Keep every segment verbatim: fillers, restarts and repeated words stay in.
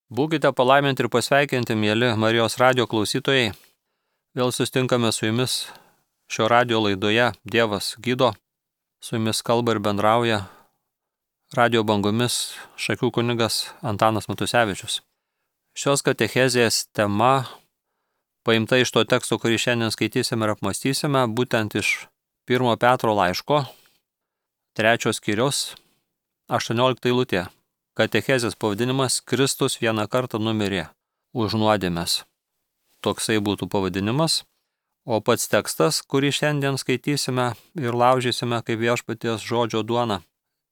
Būkite palaiminti ir pasveikinti, mėly Marijos radio klausytojai. Vėl sustinkame su jumis šio radio laidoje Dievas gydo. Su jumis kalba ir bendrauja radio bangomis Šakių kunigas Antanas Matusevičius. Šios katechezės tema paimta iš to teksto, kurį šiandien skaitysime ir apmastysime, būtent iš pirmo Petro laiško, trečios skyriaus, aštuoniolikta eilutė. Katechezės pavadinimas Kristus vieną kartą numirė už nuodėmes. Toksai būtų pavadinimas, o pats tekstas, kurį šiandien skaitysime ir laužysime kaip viešpaties žodžio duona,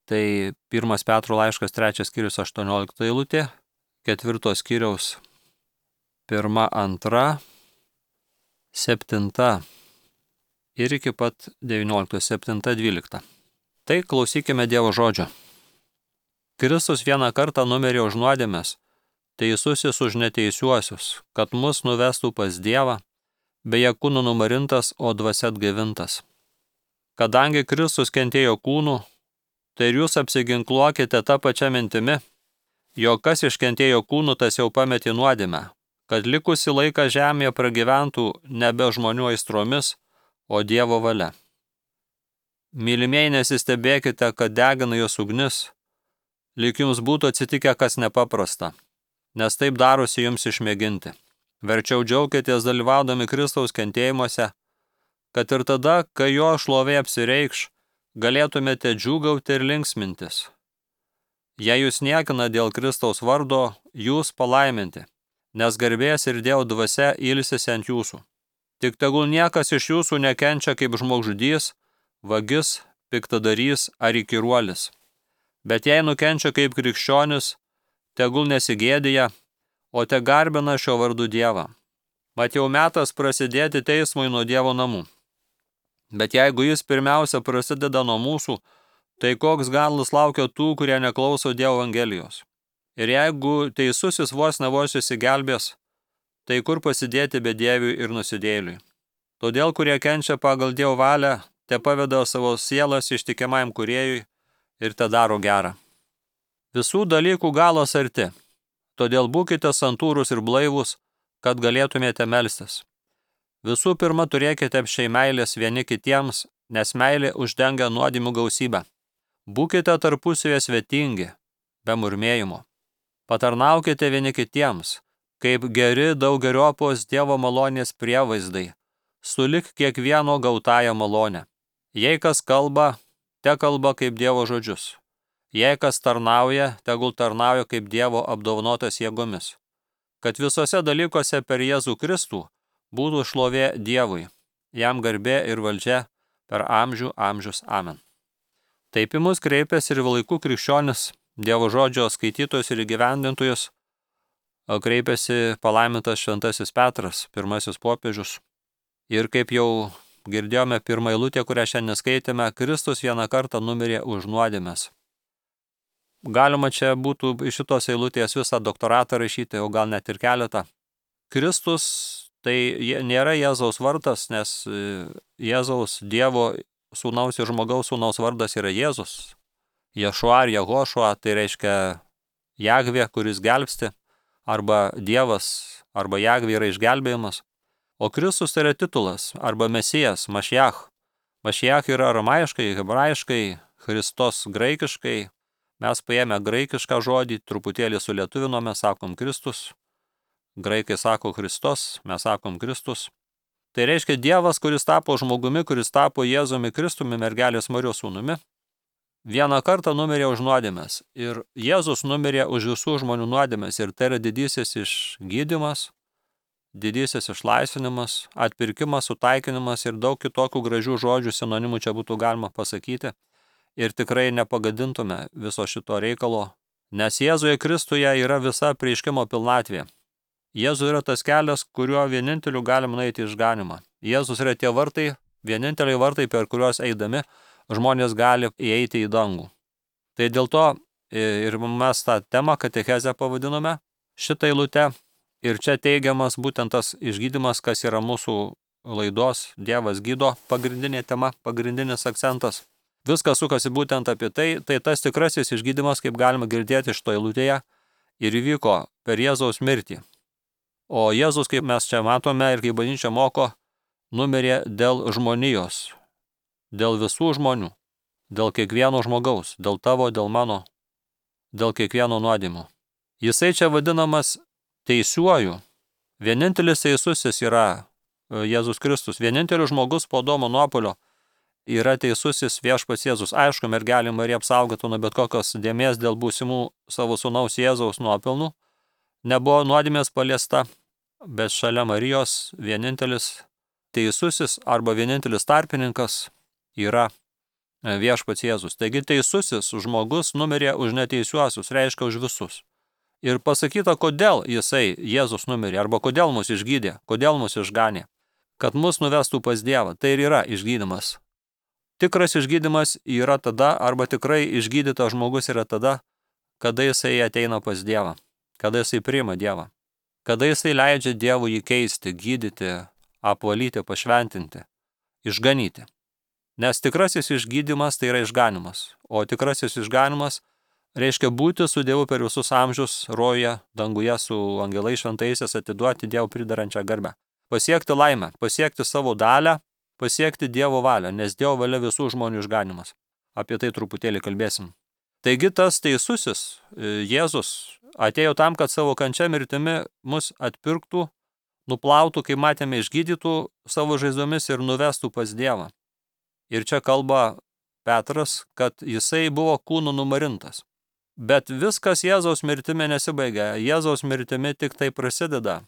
tai pirmas Petro laiškas, trečias skyrius, aštuoniolikta eilutė, ketvirtos skyriaus pirma, antra, septinta ir iki pat devynioliktos, septinta, dvylikta. Tai klausykime Dievo žodžio. Kristus vieną kartą numirė už nuodėmes, teisusis už neteisiuosius, kad mus nuvestų pas Dievą, beje kūnu numarintas, o dvasia atgaivintas. Kadangi Kristus kentėjo kūnu, tai ir jūs apsiginkluokite tą pačią mintimi, jog kas iškentėjo kūnu, tas jau pametė nuodėmę, kad likusi laiką žemėje pragyventų nebe žmonių aistromis, o Dievo valia. Mylimieji, nesistebėkite, kad degina jos ugnis, lyg jums būtų atsitikę kas nepaprasta, nes taip darosi jums išmėginti. Verčiau džiaukitės dalyvaudami Kristaus kentėjimuose, kad ir tada, kai jo šlovė apsireikš, galėtumėte džiūgauti ir linksmintis. Jei jūs niekina dėl Kristaus vardo, jūs palaiminti, nes garbės ir Dievo dvasia ilsisi ant jūsų. Tik tegul niekas iš jūsų nekenčia kaip žmogžudys, vagis, piktadarys ar įkyruolis. Bet jei nukenčia kaip krikščionis, tegul nesigėdija, o te garbina šio vardu Dievą. Mat jau metas prasidėti teismui nuo Dievo namų. Bet jeigu jis pirmiausia prasideda nuo mūsų, tai koks galas laukia tų, kurie neklauso Dievo evangelijos. Ir jeigu teisusis vos ne vos išsigelbės, tai kur pasidėti bedieviui ir nusidėjėliui. Todėl, kurie kenčia pagal Dievo valią, te paveda savo sielas ištikimajam kūrėjui ir te daro gerą. Visų dalykų galas arti, todėl būkite santūrūs ir blaivūs, kad galėtumėte melstis. Visų pirma, turėkite apsčiai meilės vieni kitiems, nes meilė uždengia nuodėmių gausybę. Būkite tarpusavėje svetingi, be murmėjimo. Patarnaukite vieni kitiems, kaip geri daugeriopos Dievo malonės prievaizdai, sulig kiekvieno gautąją malonę. Jei kas kalba, te kalba kaip Dievo žodžius. Jei kas tarnauja, tegul tarnauja kaip Dievo apdovanotas jėgomis. Kad visose dalykuose per Jėzų Kristų būtų šlovė Dievui, jam garbė ir valdžia per amžių amžius. Amen. Taip į mus kreipėsi ir laikų krikščionis, Dievo žodžio skaitytojus ir įgyvendintojus, kreipėsi palaimintas šventasis Petras, pirmasis popiežius. Ir kaip jau girdėjome pirmą eilutę, kurią šiandien skaitėme, Kristus vieną kartą numirė už nuodėmes. Galima čia būtų iš šitos eilutės visą doktoratą rašyti, o gal net ir keletą. Kristus tai nėra Jėzaus vardas, nes Jėzaus Dievo sūnaus ir žmogaus sūnaus vardas yra Jėzus. Ješua ar Jehošua, tai reiškia Jahvė, kuris gelbsti, arba Dievas, arba Jahvė yra išgelbėjimas. O Kristus tai yra titulas, arba Mesijas, Mašiach. Mašiach yra aramaiškai, hebrajiškai, Christos graikiškai. Mes paėmę graikišką žodį, truputėlį sulietuvinome, sakom Kristus. Graikai sako Kristos, mes sakom Kristus. Tai reiškia Dievas, kuris tapo žmogumi, kuris tapo Jėzumi Kristumi, mergelės Marijos sūnumi. Vieną kartą numirė už nuodėmes. Ir Jėzus numirė už visų žmonių nuodėmes. Ir tai yra didysis išgydymas, didysis išlaisvinimas, atpirkimas, sutaikinimas ir daug kitokių gražių žodžių sinonimų čia būtų galima pasakyti. Ir tikrai nepagadintume viso šito reikalo, nes Jėzuje Kristuje yra visa apreiškimo pilnatvė. Jėzus yra tas kelias, kuriuo vieninteliu galim nueiti išganimą. Jėzus yra tie vartai, vieninteliai vartai, per kuriuos eidami žmonės gali įeiti į dangų. Tai dėl to ir mes tą temą katechezę pavadinome šitą eilutę. Ir čia teigiamas būtent tas išgydymas, kas yra mūsų laidos Dievas gydo pagrindinė tema, pagrindinis akcentas. Viskas sukasi būtent apie tai, tai tas tikrasis išgydymas, kaip galima girdėti iš to eilutėje, ir įvyko per Jėzaus mirtį. O Jėzus, kaip mes čia matome ir kaip bažnyčia moko, numirė dėl žmonijos, dėl visų žmonių, dėl kiekvieno žmogaus, dėl tavo, dėl mano, dėl kiekvieno nuodėmų. Jisai čia vadinamas teisiuoju. Vienintelis teisusis yra Jėzus Kristus. Vienintelis žmogus po Adomo nuopuolio yra teisusis viešpats Jėzus. Aišku, mergelė Marija apsaugotų nuo bet kokios dėmės dėl būsimų savo sūnaus Jėzaus nuopelnų. Nebuvo nuodėmės paliesta, bet šalia Marijos vienintelis teisusis arba vienintelis tarpininkas yra viešpats Jėzus. Taigi teisusis žmogus numirė už neteisiuosius, reiškia už visus. Ir pasakyta, kodėl jisai, Jėzus, numirė, arba kodėl mus išgydė, kodėl mus išganė, kad mus nuvestų pas Dievą. Tai ir yra išgydymas. Tikras išgydymas yra tada, arba tikrai išgydytas žmogus yra tada, kada jisai ateina pas Dievą, kada jisai priima Dievą, kada jisai leidžia Dievui jį keisti, gydyti, apvalyti, pašventinti, išganyti. Nes tikrasis išgydymas tai yra išganimas, o tikrasis išganimas reiškia būti su Dievu per visus amžius, rojuje, danguje su angelais šventaisiais, atiduoti Dievo pridarančią garbę. Pasiekti laimę, pasiekti savo dalę, pasiekti Dievo valią, nes Dievo valia visų žmonių išganimas. Apie tai truputėlį kalbėsim. Taigi tas teisusis Jėzus atėjo tam, kad savo kančia mirtimi mus atpirktų, nuplautų, kaip matėme, išgydytų savo žaizdomis ir nuvestų pas Dievą. Ir čia kalba Petras, kad jisai buvo kūnu numarintas. Bet viskas Jėzaus mirtimi nesibaigia. Jėzaus mirtimi tik tai prasideda.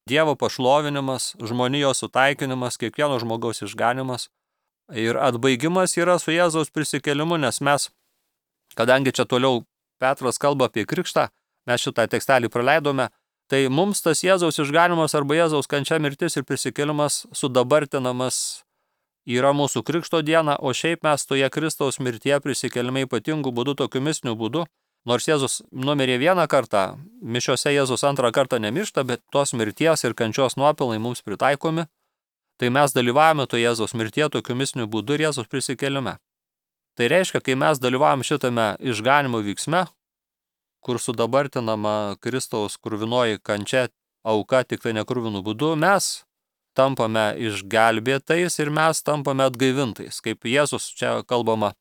Dievo pašlovinimas, žmonijos sutaikinimas, kiekvieno žmogaus išganimas. Ir atbaigimas yra su Jėzaus prisikėlimu, nes mes, kadangi čia toliau Petras kalba apie krikštą, mes šitą tekstelį praleidome, tai mums tas Jėzaus išganimas arba Jėzaus kančia, mirtis ir prisikėlimas sudabartinamas yra mūsų krikšto diena, o šiaip mes toje Kristaus mirtyje prisikėlime ypatingų būdų, tokiu mistiniu būdu, nors Jėzus numirė vieną kartą, mišiose Jėzus antrą kartą nemiršta, bet tos mirties ir kančios nuopelnai mums pritaikomi, tai mes dalyvavome to Jėzaus mirtyje tokiu mistiniu būdu ir Jėzus prisikėlime. Tai reiškia, kai mes dalyvavom šitame išganimo vyksme, kur sudabartinama Kristaus kruvinoji kančia, auka tik tai nekruvinu būdu, mes tampame išgelbėtais ir mes tampame atgaivintais. Kaip Jėzus čia kalbama,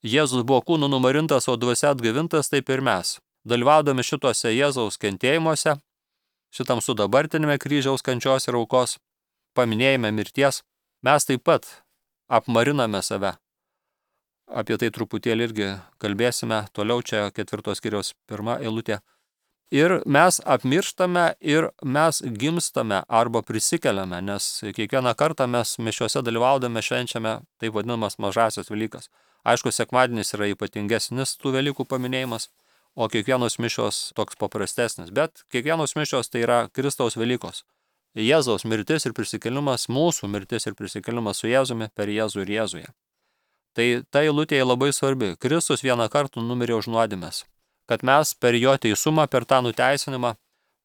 Jėzus buvo kūnu numarintas, o dvasia atgaivintas, taip ir mes. Dalyvaudami šituose Jėzaus kentėjimuose, šitam sudabartinime kryžiaus kančios ir aukos, paminėjime mirties, mes taip pat apmariname save. Apie tai truputėlį irgi kalbėsime, toliau čia ketvirtos skyriaus pirma eilutė. Ir mes apmirštame ir mes gimstame arba prisikeliame, nes kiekvieną kartą mes mišiuose dalyvaudami švenčiame taip vadinamas mažasias Velykas. Aišku, sekmadienis yra ypatingesnis tų Velykų paminėjimas, o kiekvienos mišios toks paprastesnis, bet kiekvienos mišios tai yra Kristaus Velykos. Jėzaus mirtis ir prisikėlimas, mūsų mirtis ir prisikėlimas su Jėzumi per Jėzų ir Jėzuje. Tai ta eilutė labai svarbi. Kristus vieną kartą numirė už nuodėmes, kad mes per jo teisumą, per tą nuteisinimą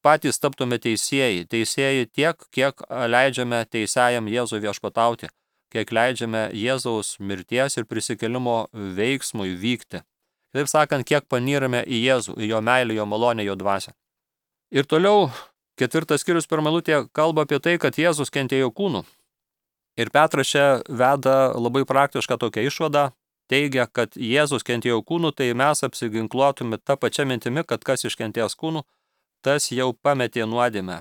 patys taptume teisėjai. Teisėjai tiek, kiek leidžiame teisėjam Jėzui viešpatauti, kiek leidžiame Jėzaus mirties ir prisikėlimo veiksmui vykti. Taip sakant, kiek panyrame į Jėzų, į jo meilę, jo malonę, jo dvasią. Ir toliau ketvirtas skyrius pirma eilutė kalba apie tai, kad Jėzus kentėjo kūnu. Ir Petras čia veda labai praktišką tokią išvadą, teigia, kad Jėzus kentėjo kūnu, tai mes apsiginkluotume tą pačią mintimį, kad kas iškentės kūnu, tas jau pametė nuodėmę.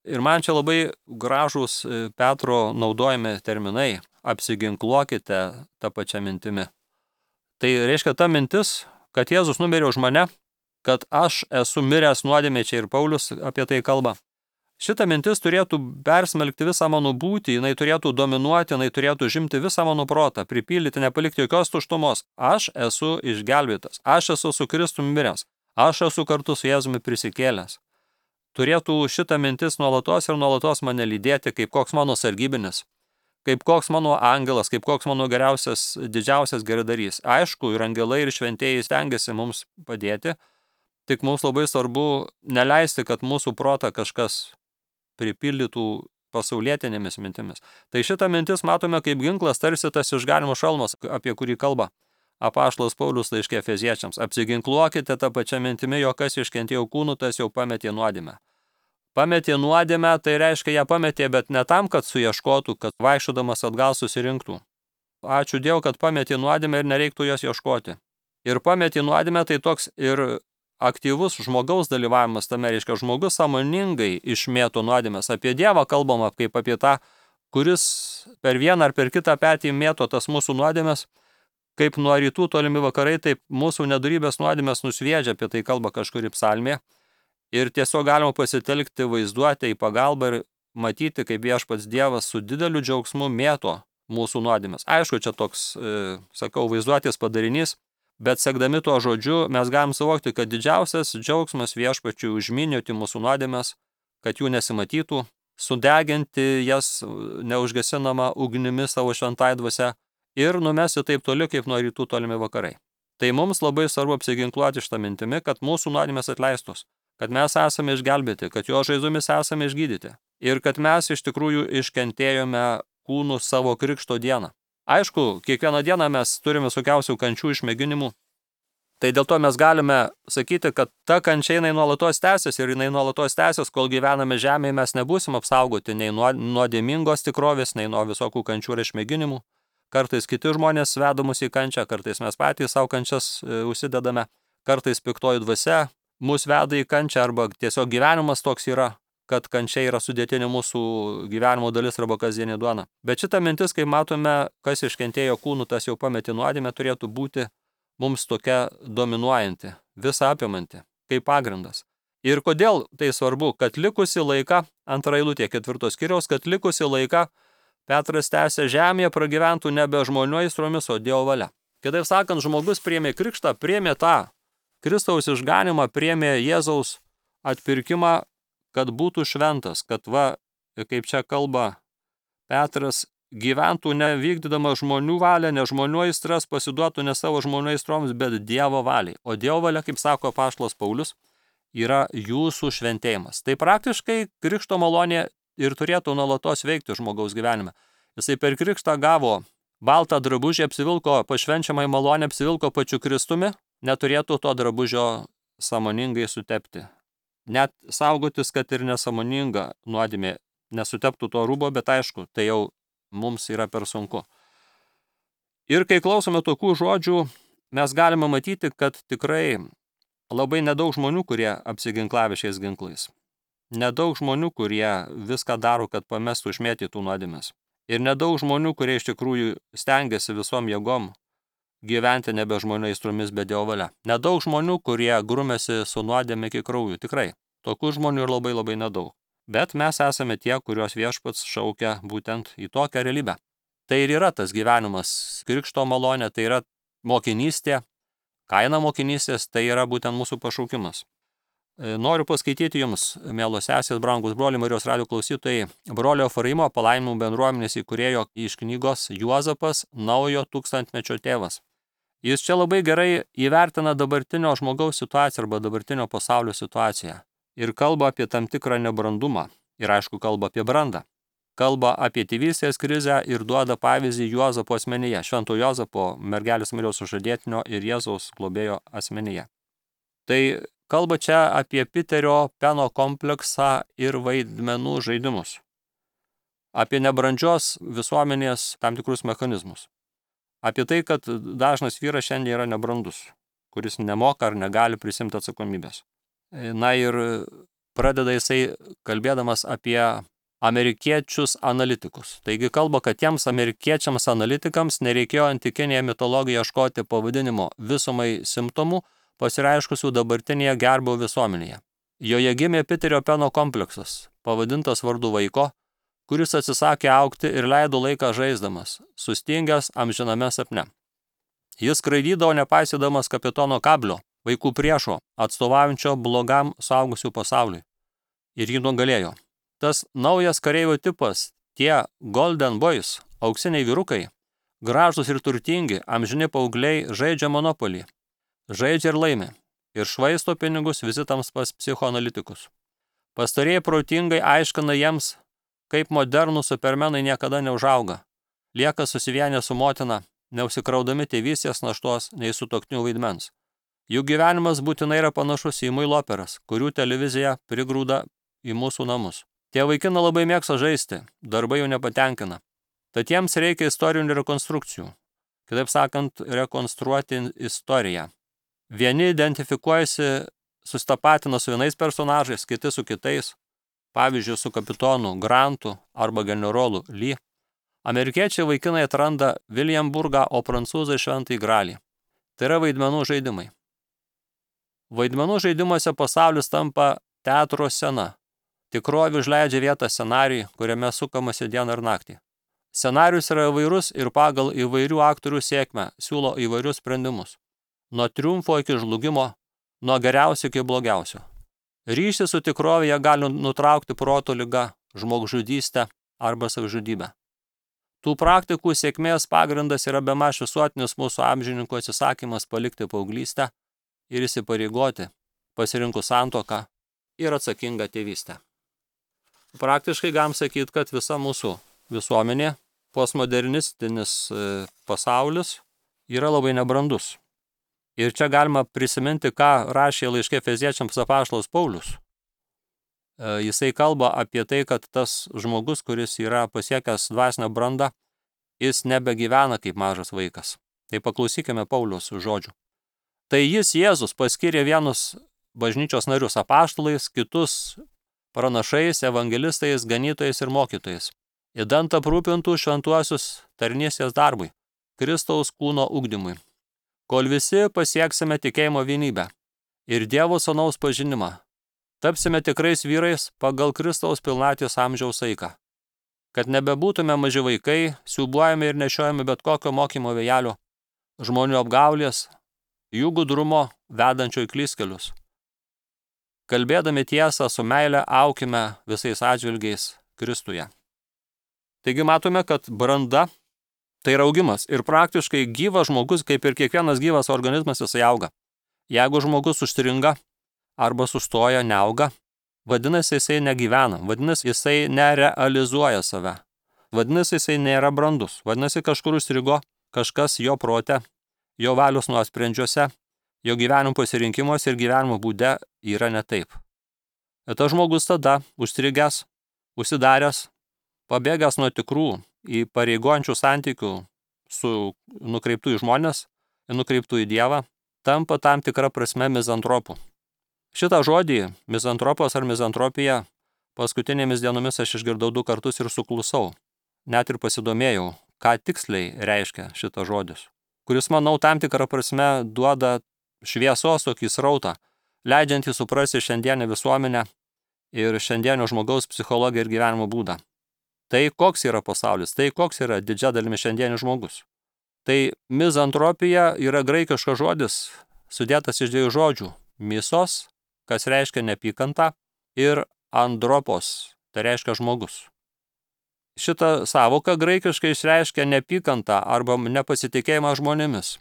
Ir man čia labai gražūs Petro naudojami terminai, apsiginkluokite tą pačią mintimį. Tai reiškia ta mintis, kad Jėzus numirė už mane, kad aš esu miręs nuodėmė, čia ir Paulius apie tai kalba. Šita mintis turėtų persmelkti visą mano būtį, jinai turėtų dominuoti, jinai turėtų žimti visą mano protą, pripildyti, nepalikti jokios tuštumos. Aš esu išgelbėtas, aš esu su Kristumi miręs, aš esu kartu su Jėzumi prisikėlęs. Turėtų šita mintis nuolatos ir nuolatos mane lydėti kaip koks mano sargybinis, kaip koks mano angelas, kaip koks mano geriausias, didžiausias geradarys. Aišku, ir angelai, ir šventieji stengiasi mums padėti, tik mums labai svarbu neleisti, kad mūsų protą kažkas pripildytų pasaulietinėmis mintimis. Tai šitą mintis matome kaip ginklas, tarsi tas išganimo šalmas, apie kurį kalba Apaštalas Paulius laiške Efeziečiams. Apsiginkluokite tą pačią mintimi, jog kas iškentėjo kūnų, tas jau pametė nuodėmę. Pametė nuodėmę, tai reiškia, ją pametė, bet ne tam, kad suieškotų, kad vaikščiodamas atgal susirinktų. Ačiū Dievui, kad pametė nuodėmę ir nereiktų jos ieškoti. Ir pametė nuodėmę, tai toks ir aktyvus žmogaus dalyvavimas tame, reiškia, žmogus sąmoningai išmėto nuodėmės. Apie Dievą kalbama kaip apie tą, kuris per vieną ar per kitą petį mėto tas mūsų nuodėmės, kaip nuo rytų tolimi vakarai, taip mūsų nedorybės nuodėmės nusviedžia, apie tai kalba kažkuri psalmė. Ir tiesiog galima pasitelkti vaizduotę į pagalbą ir matyti, kaip viešpats Dievas su dideliu džiaugsmu mėto mūsų nuodėmės. Aišku, čia toks, e, sakau, vaizduotės padarinys, bet sekdami tuo žodžiu mes galim suvokti, kad didžiausias džiaugsmas viešpačiui užminioti mūsų nuodėmės, kad jų nesimatytų, sudeginti jas neužgesinama ugnimi savo šventai dvasia ir numesti taip toli, kaip nuo rytų tolimi vakarai. Tai mums labai svarbu apsiginkluoti šitą mintimi, kad mūsų nuodėmės atleistos, kad mes esame išgelbėti, kad jo žaizomis esame išgydyti ir kad mes iš tikrųjų iškentėjome kūnų savo krikšto dieną. Aišku, kiekvieną dieną mes turime visokiausių kančių išmėginimų, tai dėl to mes galime sakyti, kad ta kančia jinai nuolatos tęsis ir jinai nuolatos tęsis, kol gyvename žemėje, mes nebūsim apsaugoti nei nuo nuodėmingos tikrovės, nei nuo visokių kančių ir išmėginimų. Kartais kiti žmonės veda mus į kančią, kartais mes patys savo kančias e, užsidedame, kartais piktoji dvasia mus veda į kančią arba tiesiog gyvenimas toks yra, kad kančia yra sudėtinė mūsų gyvenimo dalis arba kasdienė duona. Bet šita mintis, kai matome, kas iškentėjo kūnų, tas jau pametė nuodėmę, turėtų būti mums tokia dominuojanti, visą apimanti, kaip pagrindas. Ir kodėl tai svarbu, kad likusi laiką, antra eilutė ketvirtos skyriaus, kad likusi laiką Petras tęsia žemėje pragyventų nebe žmonių aistromis, o Dievo valia. Kitaip sakant, žmogus priėmė krikštą, priėmė tą Kristaus išganimą, priėmė Jėzaus atpirkimą, kad būtų šventas, kad va, kaip čia kalba Petras, gyventų nevykdydama žmonių valią, ne žmonių aistras, pasiduotų ne savo žmonių aistroms, bet Dievo valiai. O Dievo valia, kaip sako apaštalas Paulius, yra jūsų šventėjimas. Tai praktiškai krikšto malonė ir turėtų nuolatos veikti žmogaus gyvenime. Jisai per krikštą gavo baltą drabužį, apsivilko pašvenčiamai malonę, apsivilko pačiu Kristumi, neturėtų to drabužio sąmoningai sutepti. Net saugotis, kad ir nesąmoninga nuodėmė nesuteptų to rūbo, bet aišku, tai jau mums yra per sunku. Ir kai klausome tokių žodžių, mes galime matyti, kad tikrai labai nedaug žmonių, kurie apsiginklavė šiais ginklais. Nedaug žmonių, kurie viską daro, kad pamestų išmėtytų nuodėmės. Ir nedaug žmonių, kurie iš tikrųjų stengiasi visom jėgom gyventi nebe žmonių aistromis, bet Dievo valia. Nedaug žmonių, kurie grumėsi su nuodėme iki kraujų. Tikrai. Tokių žmonių ir labai labai nedaug. Bet mes esame tie, kurios viešpats šaukia būtent į tokią realybę. Tai ir yra tas gyvenimas, krikšto malonė, tai yra mokinystė, kaina mokinystės, tai yra būtent mūsų pašaukimas. Noriu paskaityti jums, mielos sesės, brangus broliai, Marijos radijo klausytojai, brolio Efraimo palaiminimų bendruomenės įkūrėjo iš knygos Juozapas, naujo tūkstantmečio tėvas. Jis čia labai gerai įvertina dabartinio žmogaus situaciją arba dabartinio pasaulio situaciją ir kalba apie tam tikrą nebrandumą ir aišku kalba apie brandą. Kalba apie tėvystės krizę ir duoda pavyzdį Juozapo asmenyje, švento Juozapo, mergelės Marijos sužadėtinio ir Jėzaus globėjo asmenyje. Tai kalba čia apie Piterio Peno kompleksą ir vaidmenų žaidimus. Apie nebrandžios visuomenės tam tikrus mechanizmus. Apie tai, kad dažnas vyras šiandien yra nebrandus, kuris nemoka ar negali prisimti atsakomybės. Na ir pradeda jisai kalbėdamas apie amerikiečius analitikus. Taigi kalba, kad tiems amerikiečiams analitikams nereikėjo antikinėje mitologijoje ieškoti pavadinimo visumai simptomų, pasireiškusių dabartinėje gerbau visuomenėje. Joje gimė Piterio Peno kompleksas, pavadintas vardu vaiko, kuris atsisakė augti ir leido laiką žaisdamas, sustingęs amžiname sapne. Jis skraidydavo nepaisydamas kapitono Kablio, vaikų priešo, atstovaujančio blogam suaugusių pasauliui. Ir jį nugalėjo. Tas naujas kareivio tipas, tie Golden Boys, auksiniai vyrukai, gražūs ir turtingi, amžini paaugliai žaidžia monopolį. Žaidžia ir laimi, ir švaisto pinigus vizitams pas psichoanalitikus. Pastarieji protingai aiškina jiems, kaip modernų supermenai niekada neužauga, lieka susivienę su motina, neusikraudami tėvystės naštos nei sutuoktinių vaidmens. Jų gyvenimas būtinai yra panašus į muilo operas, kurių televizija prigrūda į mūsų namus. Tie vaikinai labai mėgsta žaisti, darbai jų nepatenkina. Tad jiems reikia istorinių rekonstrukcijų. Kitaip sakant, rekonstruoti istoriją. Vieni identifikuojasi, sustapatina su vienais personažais, kiti su kitais, pavyzdžiui, su kapitonu Grantu arba generolu Lee. Amerikiečiai vaikinai atranda Viljamburgą, o prancūzai Šventąjį Gralį. Tai yra vaidmenų žaidimai. Vaidmenų žaidimuose pasaulis tampa teatro scena. Tikrovė užleidžia vietą scenarijui, kuriame sukamasi dieną ir naktį. Scenarijus yra įvairus ir pagal įvairių aktorių sėkmę siūlo įvairius sprendimus. Nuo triumfo iki žlugimo, nuo geriausio iki blogiausio. Ryšį su tikrovėje gali nutraukti proto liga, žmogžudystė arba savižudybė. Tų praktikų sėkmės pagrindas yra bemaž visuotinis mūsų amžininkų atsisakymas palikti paauglystę ir įsipareigoti, pasirinkus santuoką ir atsakingą tėvystę. Praktiškai galim sakyti, kad visa mūsų visuomenė, postmodernistinis pasaulis yra labai nebrandus. Ir čia galima prisiminti, ką rašė laiške Efeziečiams apaštalas Paulius. Jisai kalba apie tai, kad tas žmogus, kuris yra pasiekęs dvasinę brandą, jis nebegyvena kaip mažas vaikas. Tai paklausykime Pauliaus žodžių. Tai jis, Jėzus, paskyrė vienus bažnyčios narius apaštalais, kitus pranašais, evangelistais, ganytojais ir mokytojais, idant aprūpintų šventuosius tarnystės darbui, Kristaus kūno ugdymui, kol visi pasieksime tikėjimo vienybę ir Dievo sūnaus pažinimą, tapsime tikrais vyrais pagal Kristaus pilnaties amžiaus saiką, kad nebebūtume maži vaikai, siūbuojami ir nešiojami bet kokio mokymo vėjelio, žmonių apgaulės, jų gudrumo vedančio į klystkelius. Kalbėdami tiesą su meile aukime visais atžvilgiais Kristuje. Taigi matome, kad branda tai yra augimas ir praktiškai gyvas žmogus, kaip ir kiekvienas gyvas organizmas, jisai auga. Jeigu žmogus užstringa arba sustoja, neauga, vadinasi jisai negyvena, vadinasi jisai nerealizuoja save, vadinasi jisai nėra brandus, vadinasi kažkur užstrigo kažkas jo prote, jo valios nuosprendžiuose, jo gyvenimo pasirinkimuose ir gyvenimo būde yra ne taip. Ir tas žmogus tada užstrigęs, užsidaręs, pabėgęs nuo tikrų įpareigojančių santykių su nukreiptų į žmonės ir nukreiptų į Dievą, tampa tam tikra prasme mizantropu. Šitą žodį, mizantropas ar mizantropija, paskutinėmis dienomis aš išgirdau du kartus ir suklusau. Net ir pasidomėjau, ką tiksliai reiškia šitas žodis, kuris, manau, tam tikrą prasme duoda šviesos tokį srautą, leidžiantį suprasti šiandienę visuomenę ir šiandienio žmogaus psichologiją ir gyvenimo būdą. Tai koks yra pasaulis, tai koks yra didžia dalimi šiandienis žmogus. Tai mizantropija yra graikiškas žodis, sudėtas iš dviejų žodžių – misos, kas reiškia neapykantą, ir andropos, tai reiškia žmogus. Šita sąvoka graikiškai išreiškia neapykantą arba nepasitikėjimą žmonėmis.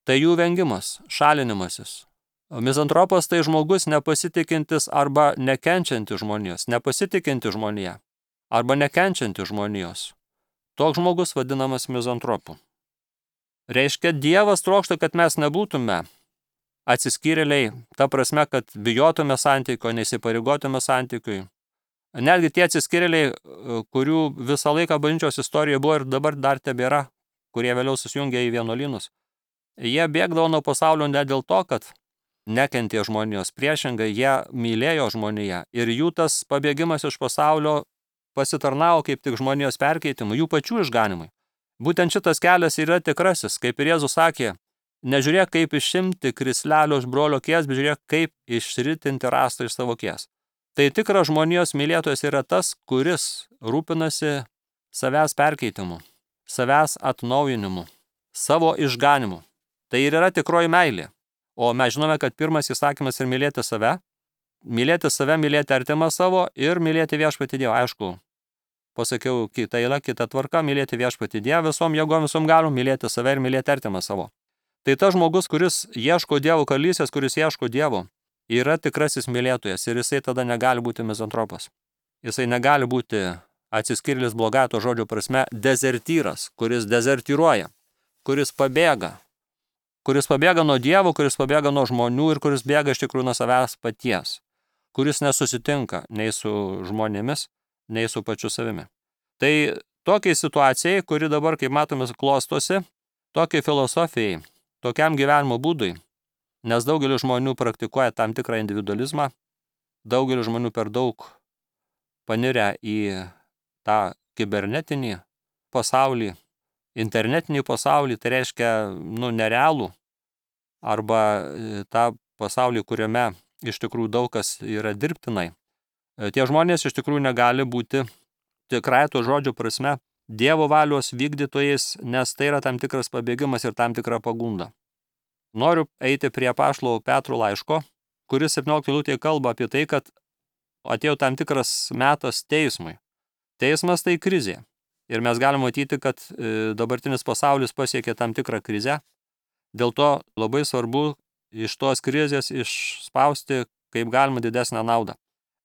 Tai jų vengimas, šalinimasis. Mizantropas tai žmogus nepasitikintis arba nekenčiantis žmonijos, nepasitikinti žmonija arba nekenčiantis žmonijos. Toks žmogus vadinamas mizantropu. Reiškia, Dievas trokšta, kad mes nebūtume atsiskyrėliai, ta prasme, kad bijotume santykio, neįsipareigotume santykiui. Netgi tie atsiskyrėliai, kurių visą laiką bažnyčios istorijoje buvo ir dabar dar tebėra, kurie vėliau susijungė į vienuolynus, jie bėgdavo nuo pasaulio ne dėl to, kad nekentė žmonijos, priešingai jie mylėjo žmoniją ir jų tas pabėgimas iš pasaulio pasitarnavo kaip tik žmonijos perkeitimui, jų pačių išganimui. Būtent šitas kelias yra tikrasis, kaip ir Jėzus sakė, nežiūrėk kaip išimti krislelio iš brolio kies, bet žiūrėk kaip išritinti rastą iš savo kies. Tai tikras žmonijos mylėtojas yra tas, kuris rūpinasi savęs perkeitimu, savęs atnaujinimu, savo išganimu. Tai ir yra tikroji meilė. O mes žinome, kad pirmas įsakymas yra mylėti save, mylėti save, mylėti artimą savo ir mylėti viešpatį Dievą. Aišku, pasakiau kitą eilę, kitą tvarką, mylėti viešpatį Dievą visom jėgom, visom galom, mylėti save ir mylėti artimą savo. Tai tas žmogus, kuris ieško Dievo karalystės, kuris ieško Dievo, yra tikrasis mylėtojas ir jisai tada negali būti mizantropas. Jisai negali būti atsiskyrėlis blogąja to žodžio prasme dezertyras, kuris dezertyruoja. kuris pabėga. Kuris pabėga nuo Dievo, kuris pabėga nuo žmonių ir kuris bėga iš tikrųjų nuo savęs paties. Kuris nesusitinka nei su žmonėmis, nei su pačiu savimi. Tai tokiai situacijai, kuri dabar, kaip matome, klostosi, tokiai filosofijai, tokiam gyvenimo būdui, nes daugelis žmonių praktikuoja tam tikrą individualizmą, daugelis žmonių per daug panirę į tą kibernetinį pasaulį, internetinį pasaulį, tai reiškia, nu, nerealų, arba tą pasaulį, kuriame iš tikrųjų daug kas yra dirbtinai. Tie žmonės iš tikrųjų negali būti tikrai to žodžio prasme Dievo valios vykdytojais, nes tai yra tam tikras pabėgimas ir tam tikra pagunda. Noriu eiti prie apaštalo Petro laiško, kuris septynioliktoj eilutėje kalba apie tai, kad atėjo tam tikras metas teismui. Teismas tai krizė. Ir mes galime matyti, kad dabartinis pasaulis pasiekė tam tikrą krizę. Dėl to labai svarbu iš tos krizės išspausti kaip galima didesnę naudą.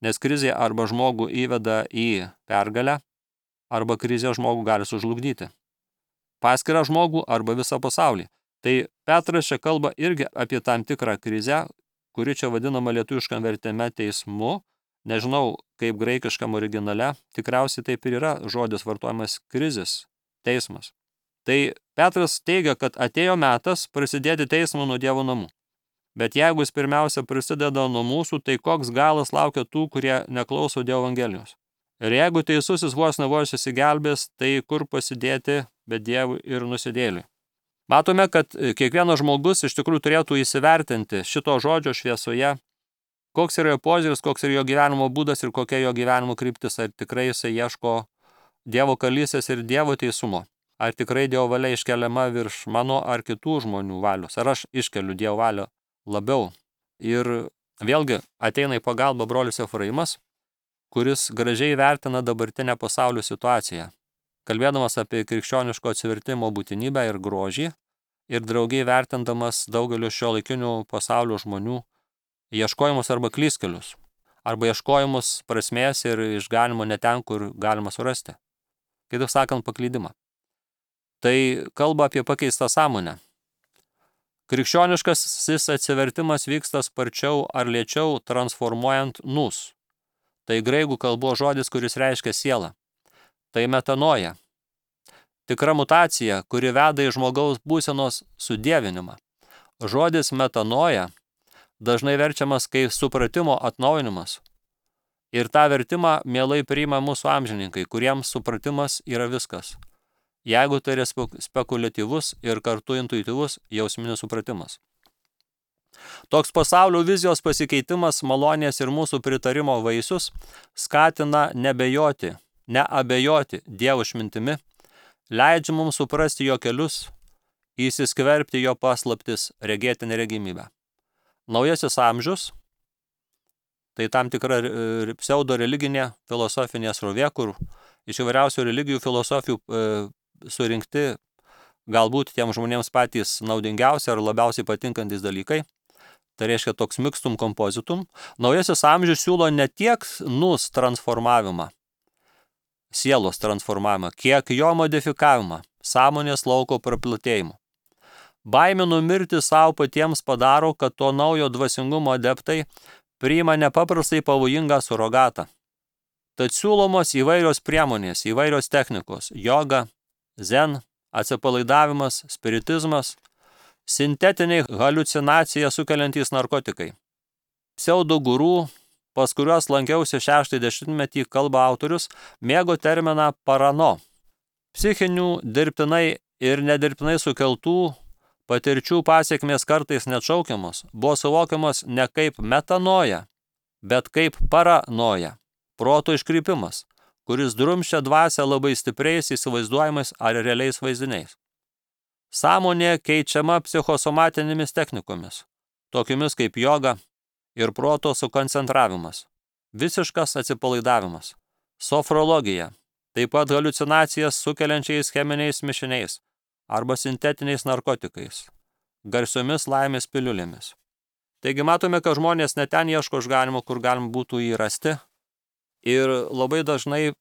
Nes krizė arba žmogų įveda į pergalę, arba krizė žmogų gali sužlugdyti. Paskirą žmogų arba visą pasaulį. Tai Petras čia kalba irgi apie tam tikrą krizę, kuri čia vadinama lietuviškam vertime teismu. Nežinau, kaip graikiškam originale, tikriausiai taip ir yra žodis vartojamas krizis, teismas. Tai Petras teigia, kad atėjo metas prasidėti teismą nuo Dievo namų. Bet jeigu jis pirmiausia prisideda nuo mūsų, tai koks galas laukia tų, kurie neklauso Dievo evangelijos. Ir jeigu teisusis vos nevos įsigelbės, tai kur pasidėti be Dievų ir nusidėliui. Matome, kad kiekvienas žmogus iš tikrųjų turėtų įsivertinti šito žodžio šviesoje, koks yra jo požiūris, koks yra jo gyvenimo būdas ir kokia jo gyvenimo kryptis, ar tikrai jisai ieško Dievo karalystės ir Dievo teisumo, ar tikrai Dievo valia iškeliama virš mano ar kitų žmonių valios, ar aš iškeliu Dievo valią labiau. Ir vėlgi ateina į pagalbą brolis Efraimas, kuris gražiai vertina dabartinę pasaulio situaciją, kalbėdamas apie krikščioniško atsivertimo būtinybę ir grožį ir draugiai vertindamas daugelio šiuolaikinių pasaulio žmonių ieškojimus arba klystkelius, arba ieškojimus prasmės ir išganimo ne ten, kur galima surasti. Kitaip sakant, paklydimą. Tai kalba apie pakeistą sąmonę. Krikščioniškasis atsivertimas vyksta sparčiau ar lėčiau transformuojant nus. Tai graikų kalbos žodis, kuris reiškia sielą. Tai metanoja. Tikra mutacija, kuri veda į žmogaus būsenos sudievinimą. Žodis metanoja dažnai verčiamas kaip supratimo atnaujinimas. Ir tą vertimą mielai priima mūsų amžininkai, kuriems supratimas yra viskas. Jeigu tai yra spekuliatyvus ir kartu intuityvus jausminis supratimas. Toks pasaulio vizijos pasikeitimas, malonės ir mūsų pritarimo vaisius skatina nebejoti, neabejoti Dievo išmintimi, leidžia mums suprasti jo kelius, įsiskverbti jo paslaptis, regėti neregimybę. Naujasis amžius, tai tam tikra pseudo religinė filosofinė srovė, kur iš įvairiausių religijų filosofijų e, surinkti galbūt tiem žmonėms patys naudingiausi ar labiausiai patinkantis dalykai. Tai reiškia toks mixtum compositum. Naujasis amžius siūlo ne tiek nus transformavimą, sielos transformavimą, kiek jo modifikavimą, sąmonės lauko praplatėjimą. Baimė numirti savo patiems padaro, kad to naujo dvasingumo adeptai priima nepaprastai pavojingą surogatą. Tad siūlomos įvairios priemonės, įvairios technikos, joga, zen, atsipalaidavimas, spiritizmas, sintetiniai haliucinaciją sukeliantys narkotikai. Pseudo gurų, pas kuriuos lankiausi šeštąjį dešimtmetį, kalba autorius, mėgo terminą parano. Psichinių, dirbtinai ir nedirbtinai sukeltų patirčių pasiekmės kartais neatšaukiamos, buvo suvokiamas ne kaip metanoja, bet kaip paranoja, proto iškrypimas, kuris drumsčia dvasią labai stipriais įsivaizduojamais ar realiais vaizdiniais. Sąmonė keičiama psichosomatinėmis technikomis, tokiomis kaip joga ir proto sukoncentravimas, visiškas atsipalaidavimas, sofrologija, taip pat haliucinacijas sukeliančiais cheminiais mišiniais arba sintetiniais narkotikais, garsiomis laimės piliulėmis. Taigi matome, kad žmonės ne ten ieško išganimo, kur galima būtų jį rasti, ir labai dažnai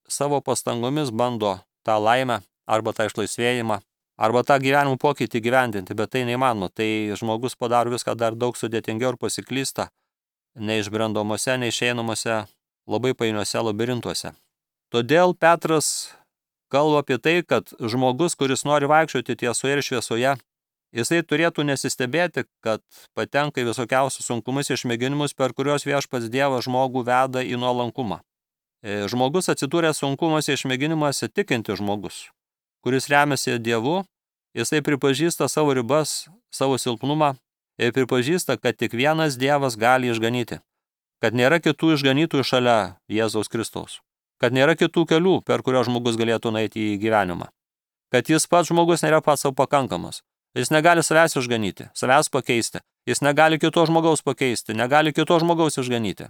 savo pastangomis bando tą laimę arba tą išlaisvėjimą arba tą gyvenimo pokytį gyvendinti, bet tai neįmanoma. Tai žmogus padaro viską dar daug sudėtingiau ir pasiklysta neišbrendomose, neišeinamuose, labai painiuose labirintuose. Todėl Petras kalba apie tai, kad žmogus, kuris nori vaikščioti tiesoje ir šviesoje, jisai turėtų nesistebėti, kad patenka į visokiausius sunkumus išmėginimus, per kurios viešpats Dievas žmogų veda į nuolankumą. Žmogus atsidūręs sunkumuose išmėginimuose tikinti žmogus, kuris remiasi Dievu, jisai pripažįsta savo ribas, savo silpnumą ir pripažįsta, kad tik vienas Dievas gali išganyti, kad nėra kitų išganytojų šalia Jėzaus Kristaus, kad nėra kitų kelių, per kurios žmogus galėtų nueiti į gyvenimą, kad jis pats žmogus nėra pats savo pakankamas, jis negali savęs išganyti, savęs pakeisti, jis negali kito žmogaus pakeisti, negali kito žmogaus išganyti,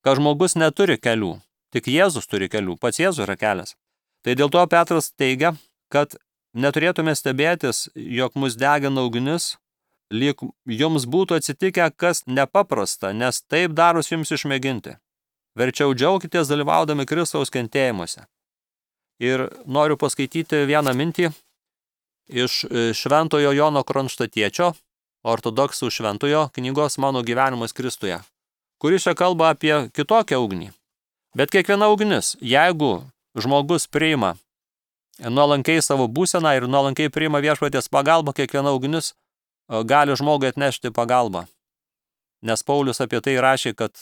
kad žmogus neturi kelių, tik Jėzus turi kelių, pats Jėzus yra kelias. Tai dėl to Petras teigia, kad neturėtume stebėtis, jog mus degina ugnis, lyg jums būtų atsitikę kas nepaprasta, nes taip darus jums išmėginti. Verčiau džiaukitės dalyvaudami Kristaus kentėjimuose. Ir noriu paskaityti vieną mintį iš Šventojo Jono Kronštatiečio, ortodoksų šventojo knygos Mano gyvenimas Kristuje, kuris čia kalba apie kitokią ugnį. Bet kiekviena ugnis, jeigu žmogus priima nuolankiai savo būseną ir nuolankiai priima viešpaties pagalbą, kiekviena ugnis gali žmogui atnešti pagalbą. Nes Paulius apie tai rašė, kad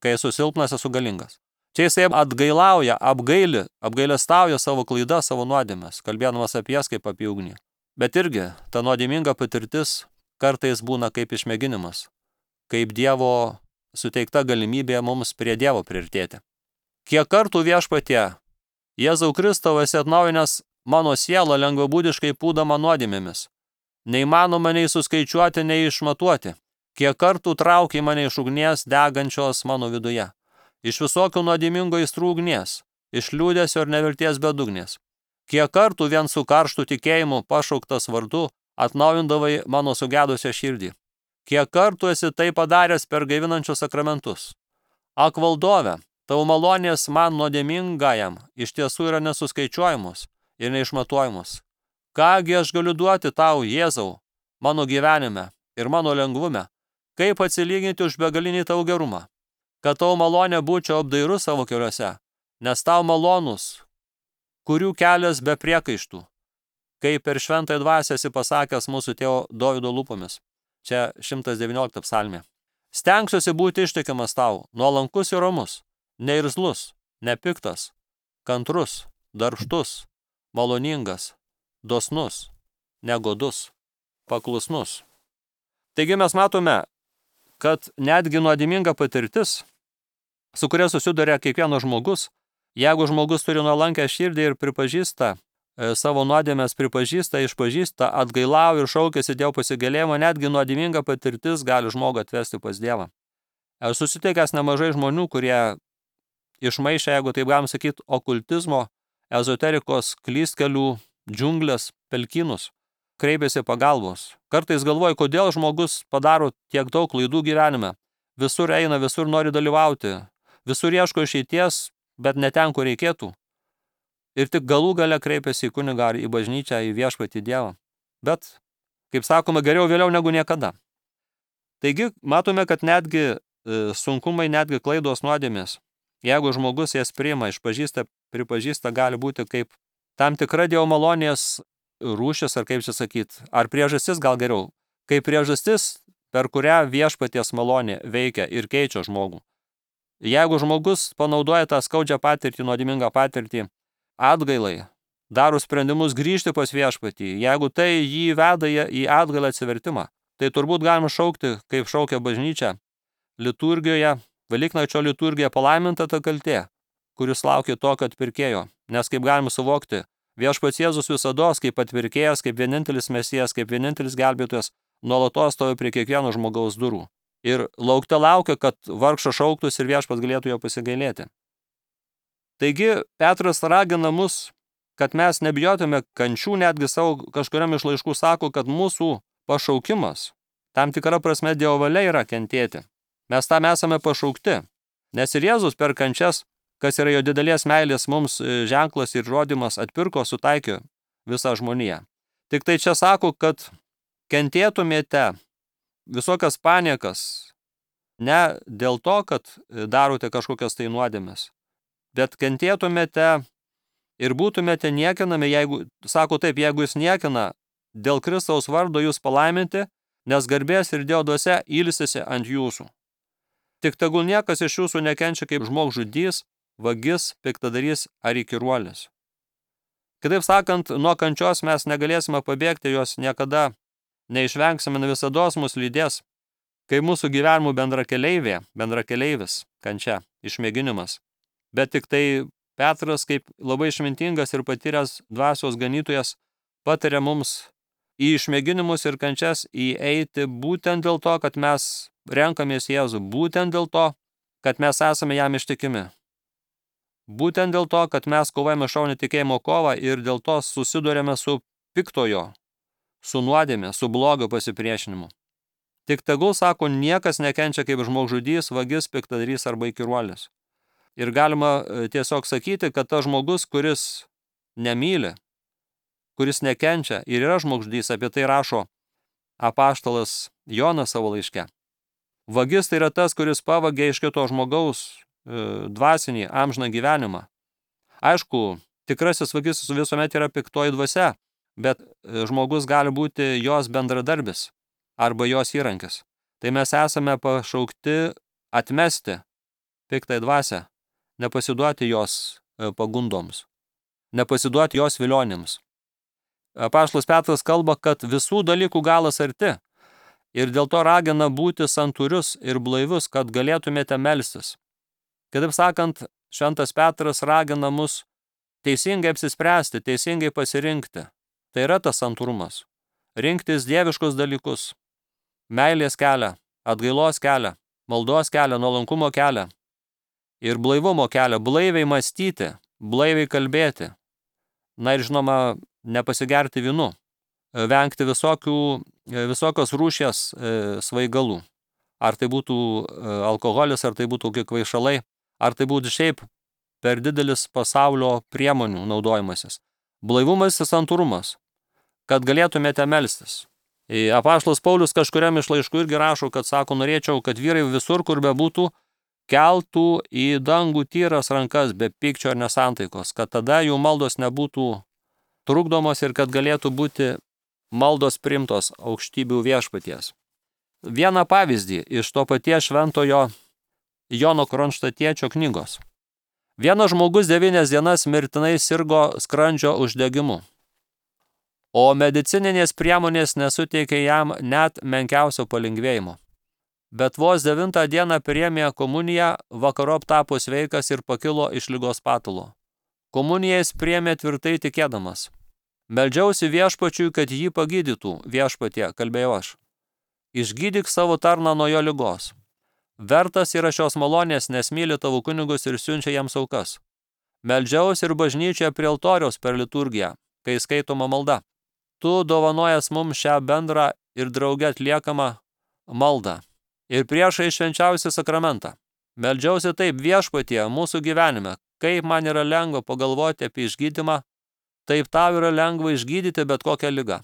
kai esu silpnas, esu galingas. Čia jisai atgailauja, apgaili, apgailestauja savo klaidas, savo nuodėmes, kalbėdamas apie jas kaip apie ugnį. Bet irgi ta nuodėminga patirtis kartais būna kaip išmėginimas, kaip Dievo suteikta galimybė mums prie Dievo priartėti. Kiek kartų viešpatie, Jėzau Kristau, esi atnaujinęs mano sielą lengvabūdiškai pūdama nuodėmėmis. Neįmanoma nei suskaičiuoti, nei išmatuoti. Kiek kartų traukiai mane iš ugnies degančios mano viduje. Iš visokių nuodėmingo aistrų ugnies, iš liūdesio ir nevilties bedugnės. Kiek kartų vien su karštu tikėjimu pašauktas vardu atnaujindavai mano sugedusią širdį. Kiek kartų esi tai padaręs per gaivinančius sakramentus. Ak valdove, tavo malonės man nuodėmingajam iš tiesų yra nesuskaičiuojamos ir neišmatuojamos. Kągi aš galiu duoti tau, Jėzau, mano gyvenime ir mano lengvume, kaip atsilyginti už begalinį tavo gerumą, kad tavo malonė būčiau apdairus savo keliuose, nes tau malonus, kurių kelias be priekaištų, kaip per šventąją dvasią esi pasakęs mūsų tėvo Dovydo lūpomis. Čia šimtas devyniolikta psalmė. Stengsiuosi būti ištikimas tau, nuolankus ir romus, neirzlus, nepiktas, kantrus, darbštus, maloningas, dosnus, negodus, paklusnus. Taigi mes matome, kad netgi nuodėminga patirtis, su kuria susiduria kiekvienas žmogus, jeigu žmogus turi nuolankę širdį ir pripažįsta e, savo nuodėmes, pripažįsta, išpažįsta, atgailauja ir šaukiasi Dievo pasigailėjimo, netgi nuodėminga patirtis gali žmogų atvesti pas Dievą. Esu susitikęs nemažai žmonių, kurie išmaišė, jeigu taip galim sakyti, okultizmo, ezoterikos, klystkelių, džiunglės, pelkynus, kreipiasi pagalbos. Kartais galvoju, kodėl žmogus padaro tiek daug klaidų gyvenime. Visur eina, visur nori dalyvauti, visur ieško išeities, bet ne ten, kur reikėtų. Ir tik galų gale kreipiasi į kunigą ar į bažnyčią, į viešpatį Dievą. Bet, kaip sakoma, geriau vėliau negu niekada. Taigi, matome, kad netgi e, sunkumai, netgi klaidos nuodėmės, jeigu žmogus jas priima, išpažįsta, pripažįsta, gali būti kaip tam tikra Dievo malonės rūšis, ar kaip čia sakyt, ar priežastis gal geriau, kaip priežastis, per kurią viešpaties malonė veikia ir keičia žmogų. Jeigu žmogus panaudoja tą skaudžią patirtį, nuodėmingą patirtį, atgailai, daro sprendimus grįžti pas viešpatį, jeigu tai jį veda į atgailą atsivertimą, tai turbūt galima šaukti, kaip šaukia bažnyčia, liturgijoje, Velyknakčio liturgija palaiminta ta kaltė, kuris laukia tokio atpirkėjo, nes kaip galima suvokti, viešpats Jėzus visados kaip atpirkėjas, kaip vienintelis mesijas, kaip vienintelis gelbėtojas, nuolatos stovi prie kiekvieno žmogaus durų. Ir laukte laukia, kad vargšas šauktus ir viešpats galėtų jo pasigailėti. Taigi, Petras ragina mus, kad mes nebijotume kančių, netgi savo kažkuriam iš laiškų sako, kad mūsų pašaukimas, tam tikra prasme Dievo valia yra kentėti. Mes tam esame pašaukti, nes ir Jėzus per kančias, kas yra jo didelės meilės mums ženklas ir rodymas, atpirko, sutaikė visą žmoniją. Tik tai čia sako, kad kentėtumėte visokias paniekas, ne dėl to, kad darote kažkokias tai nuodėmes, bet kentėtumėte ir būtumėte niekinami, jeigu, sako taip, jeigu jis niekina, dėl Kristaus vardo jūs palaiminti, nes garbės ir Dievo dvasia ilsisi ant jūsų. Tik tegul niekas iš jūsų nekenčia kaip žmogžudys, vagis, piktadarys ar įkyruolis. Kitaip sakant, nuo kančios mes negalėsime pabėgti, jos niekada neišvengsime, visados mus lydės, kai mūsų gyvenimų bendrakeleivė, bendrakeleivis, kančia, išmėginimas. Bet tik tai Petras, kaip labai išmintingas ir patyręs dvasios ganytojas, pataria mums į išmėginimus ir kančias įeiti būtent dėl to, kad mes renkamės Jėzų, būtent dėl to, kad mes esame jam ištikimi. Būtent dėl to, kad mes kovojame šaunį tikėjimo kovą ir dėl to susidurėme su piktojo, su nuodėme, su blogio pasipriešinimu. Tik tegul, sako, niekas nekenčia kaip žmogžudys, vagis, piktadarys arba įkyruolis. Ir galima tiesiog sakyti, kad tas žmogus, kuris nemyli, kuris nekenčia ir yra žmogžudys, apie tai rašo apaštalas Jonas savo laiške. Vagis tai yra tas, kuris pavagia iš kito žmogaus e, dvasinį, amžiną gyvenimą. Aišku, tikrasis vagis visuomet yra piktoji dvasia, bet žmogus gali būti jos bendradarbis arba jos įrankis. Tai mes esame pašaukti atmesti piktąją dvasią, nepasiduoti jos pagundoms, nepasiduoti jos vilionėms. Apaštalas Petras kalba, kad visų dalykų galas arti ir dėl to ragina būti santūrius ir blaivius, kad galėtumėte melstis. Kitaip sakant, šventas Petras ragina mus teisingai apsispręsti, teisingai pasirinkti. Tai yra tas santūrumas. Rinktis dieviškus dalykus, meilės kelią, atgailos kelią, maldos kelią, nuolankumo kelią ir blaivumo kelią, blaiviai mąstyti, blaiviai kalbėti. Na ir žinoma, nepasigerti vynu, vengti visokių, visokios rūšies svaigalų. Ar tai būtų alkoholis, ar tai būtų kvaišalai, ar tai būtų šiaip per didelis pasaulio priemonių naudojimasis. Blaivumas ir santūrumas, kad galėtumėte melstis. Apaštalas Paulius kažkuriam iš laiškų irgi rašo, kad sako, norėčiau, kad vyrai visur, kur bebūtų, keltų į dangų tyras rankas be pykčio ir nesantaikos, kad tada jų maldos nebūtų trukdomos ir kad galėtų būti maldos priimtos aukštybių viešpaties. Vieną pavyzdį iš to paties šventojo Jono Kronštatiečio knygos. Vienas žmogus devynias dienas mirtinai sirgo skrandžio uždegimu, o medicininės priemonės nesuteikė jam net menkiausio palengvėjimo. Bet vos devintą dieną priėmė komuniją, vakarop tapo sveikas ir pakilo iš ligos patulo. Komuniją jis priėmė tvirtai tikėdamas. Meldžiausi viešpačiui, kad jį pagydytų, viešpatie, kalbėjau aš. Išgydyk savo tarną nuo jo ligos. Vertas yra šios malonės, nes myli tavo kunigus ir siunčia jiems aukas. Meldžiausi ir bažnyčioje prie altoriaus per liturgiją, kai skaitoma malda. Tu dovanojas mums šią bendrą ir drauge atliekamą maldą. Ir priešai švenčiausią sakramentą. Meldžiausi taip, viešpatie, mūsų gyvenime, kaip man yra lengva pagalvoti apie išgydymą, taip tau yra lengva išgydyti bet kokią ligą.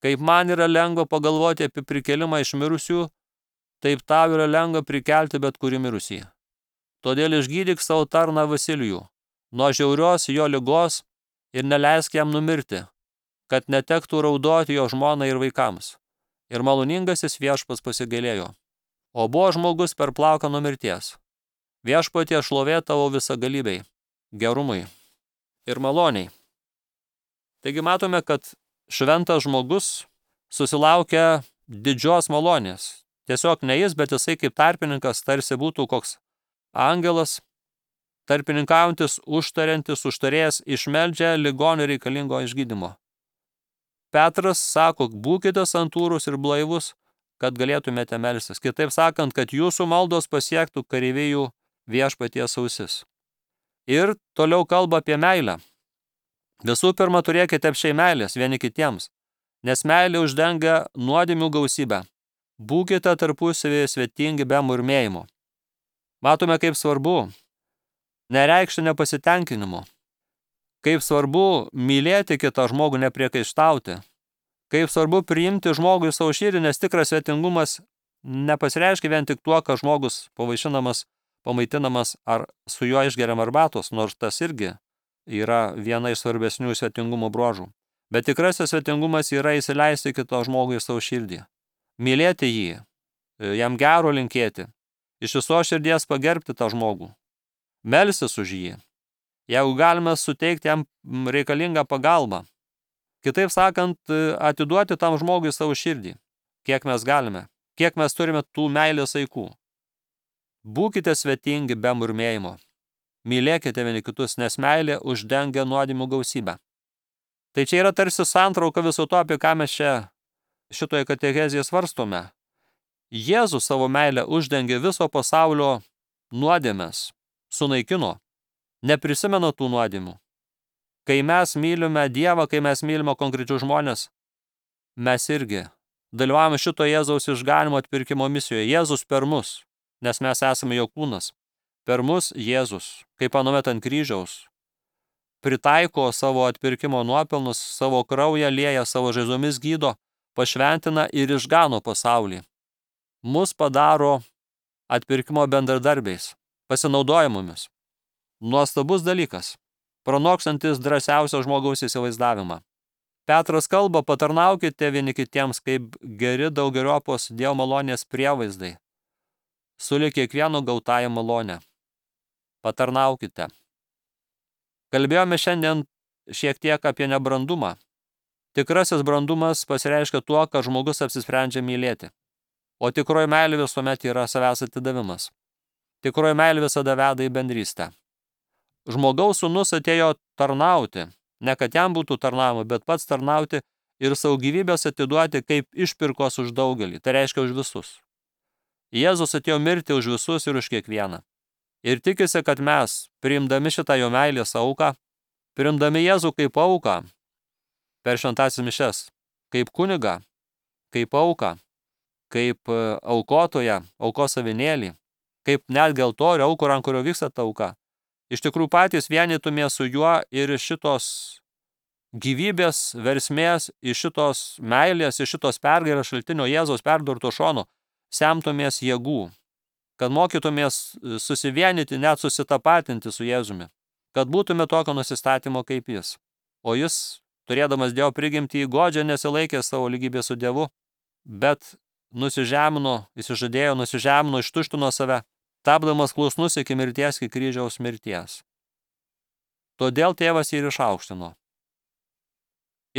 Kaip man yra lengva pagalvoti apie prikelimą iš mirusių, taip tau yra lengva prikelti bet kurį mirusį. Todėl išgydyk savo tarną Vasilijų, nuo žiaurios jo ligos ir neleisk jam numirti, kad netektų raudoti jo žmonai ir vaikams. Ir maloningasis viešpats pasigailėjo. O buvo žmogus per plauką nuo mirties. Viešpatie šlovė tavo visagalybei, gerumui ir maloniai. Taigi matome, kad šventas žmogus susilaukia didžios malonės. Tiesiog ne jis, bet jisai kaip tarpininkas tarsi būtų koks angelas, tarpininkaujantis, užtariantis, užtarėjęs, išmeldžia ligonį reikalingo išgydymo. Petras sako, būkite santūrūs ir blaivus, kad galėtumėte melstis. Kitaip sakant, kad jūsų maldos pasiektų kareivijų viešpaties ausis. Ir toliau kalba apie meilę. Visų pirma, turėkite apšiai meilės vieni kitiems, nes meilė uždengia nuodėmių gausybę. Būkite tarpusavėje svetingi be murmėjimo. Matome, kaip svarbu nereikšti nepasitenkinimo. Kaip svarbu mylėti kitą žmogų, nepriekaištauti. Kaip svarbu priimti žmogų į savo širdį, nes tikras svetingumas nepasireiškia vien tik tuo, kad žmogus pavaišinamas, pamaitinamas ar su juo išgeriam arbatos, nors tas irgi yra viena iš svarbesnių svetingumo bruožų. Bet tikrasis svetingumas yra įsileisti kito žmogų į savo širdį, mylėti jį, jam gero linkėti, iš viso širdies pagerbti tą žmogų, melstis už jį, jeigu galime suteikti jam reikalingą pagalbą. Kitaip sakant, atiduoti tam žmogui savo širdį, kiek mes galime, kiek mes turime tų meilės aikų. Būkite svetingi be murmėjimo. Mylėkite vieni kitus, nes meilė uždengia nuodėmių gausybę. Tai čia yra tarsi santrauka viso to, apie ką mes čia šitoje katechezėje svarstome. Jėzus savo meilę uždengė viso pasaulio nuodėmes, sunaikino, neprisimena tų nuodėmių. Kai mes mylime Dievą, kai mes mylime konkrečius žmonės, mes irgi dalyvavome šito Jėzaus išganimo atpirkimo misijoje. Jėzus per mus, nes mes esame jo kūnas. Per mus Jėzus, kaip anuomet ant kryžiaus, pritaiko savo atpirkimo nuopelnus, savo kraują lieja, savo žaizomis gydo, pašventina ir išgano pasaulį. Mus padaro atpirkimo bendradarbiais, pasinaudojimumis. Nuostabus dalykas, pranokstantis drąsiausio žmogaus įsivaizdavimą. Petras kalba, patarnaukite vieni kitiems kaip geri daugeriopos Dievo malonės prievaizdai, sulig kiekvieno gautąją malonę. Patarnaukite. Kalbėjome šiandien šiek tiek apie nebrandumą. Tikrasis brandumas pasireiškia tuo, kad žmogus apsisprendžia mylėti. O tikroji meilė visuomet yra savęs atidavimas. Tikroji meilė visada veda į bendrystę. Žmogaus sūnus atėjo tarnauti, ne kad jam būtų tarnaujama, bet pats tarnauti ir savo gyvybės atiduoti kaip išpirkos už daugelį, tai reiškia už visus. Jėzus atėjo mirti už visus ir už kiekvieną. Ir tikisi, kad mes, priimdami šitą jo meilės auką, priimdami Jėzų kaip auką, per šventąsias mišias, kaip kunigą, kaip auką, kaip aukotoją, aukos avinėlį, kaip netgi altorių aukų, ant kurio vyksta ta auka, iš tikrųjų patys vienytumė su juo ir šitos gyvybės versmės, iš šitos meilės, iš šitos pergalės šaltinio Jėzaus perdurto šono, semtumės jėgų, kad mokytumės susivienyti, net susitapatinti su Jėzumi, kad būtume tokio nusistatymo kaip jis. O jis, turėdamas Dievo prigimtį, godžiai nesilaikė savo lygybės su Dievu, bet nusižemino, įsižadėjo, nusižemino, ištuštino save, tapdamas klusnus iki mirties, iki kryžiaus mirties. Todėl tėvas jį ir išaukštino.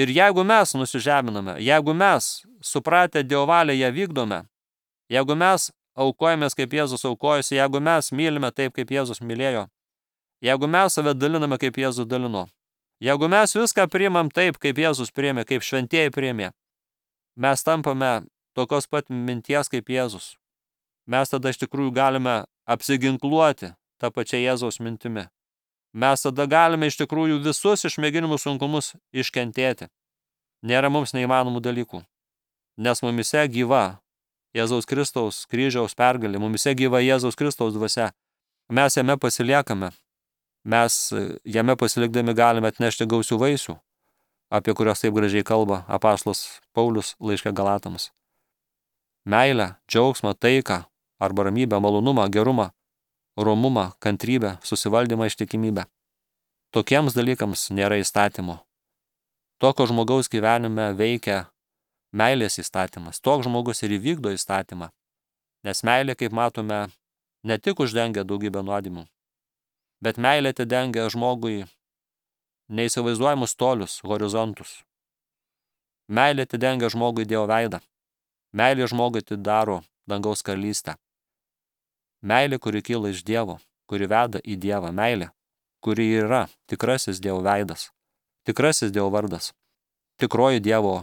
Ir jeigu mes nusižeminame, jeigu mes, supratę Dievo valią, ją vykdome, jeigu mes aukojamės kaip Jėzus aukojosi, jeigu mes mylime taip, kaip Jėzus mylėjo, jeigu mes save daliname, kaip Jėzus dalino, jeigu mes viską priimam taip, kaip Jėzus priėmė, kaip šventieji priėmė, mes tampame tokios pat minties kaip Jėzus. Mes tada iš tikrųjų galime apsiginkluoti tą pačią Jėzaus mintimi. Mes tada galime iš tikrųjų visus išmėginimų sunkumus iškentėti. Nėra mums neįmanomų dalykų, nes mumise gyva Jėzaus Kristaus kryžiaus pergalė, mumise gyva Jėzaus Kristaus dvasia. Mes jame pasiliekame, mes jame pasilikdami galime atnešti gausių vaisių, apie kurios taip gražiai kalba apaštalas Paulius laiške Galatams. Meilę, džiaugsmą, taiką, arba ramybę, malonumą, gerumą, romumą, kantrybę, susivaldymą, ištikimybę. Tokiems dalykams nėra įstatymo. Tokio žmogaus gyvenime veikia meilės įstatymas. Toks žmogus ir įvykdo įstatymą. Nes meilė, kaip matome, ne tik uždengia daugybę nuodėmių, bet meilė atidengia žmogui neįsivaizduojamus tolius, horizontus. Meilė atidengia žmogui Dievo veidą. Meilė žmogui atidaro dangaus karalystę. Meilė, kuri kyla iš Dievo, kuri veda į Dievą. Meilė, kuri yra tikrasis Dievo veidas, tikrasis Dievo vardas, tikroji Dievo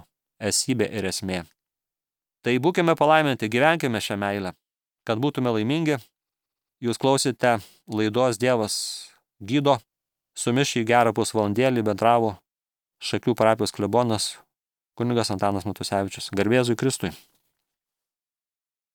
esybė ir esmė. Tai būkime palaiminti, gyvenkime šią meilę, kad būtume laimingi. Jūs klausite laidos Dievas gydo, su jumis šį gerą pusvalandėlį bendravo Šakių parapijos klebonas kunigas Antanas Matusevičius. Garbė Jėzui Kristui.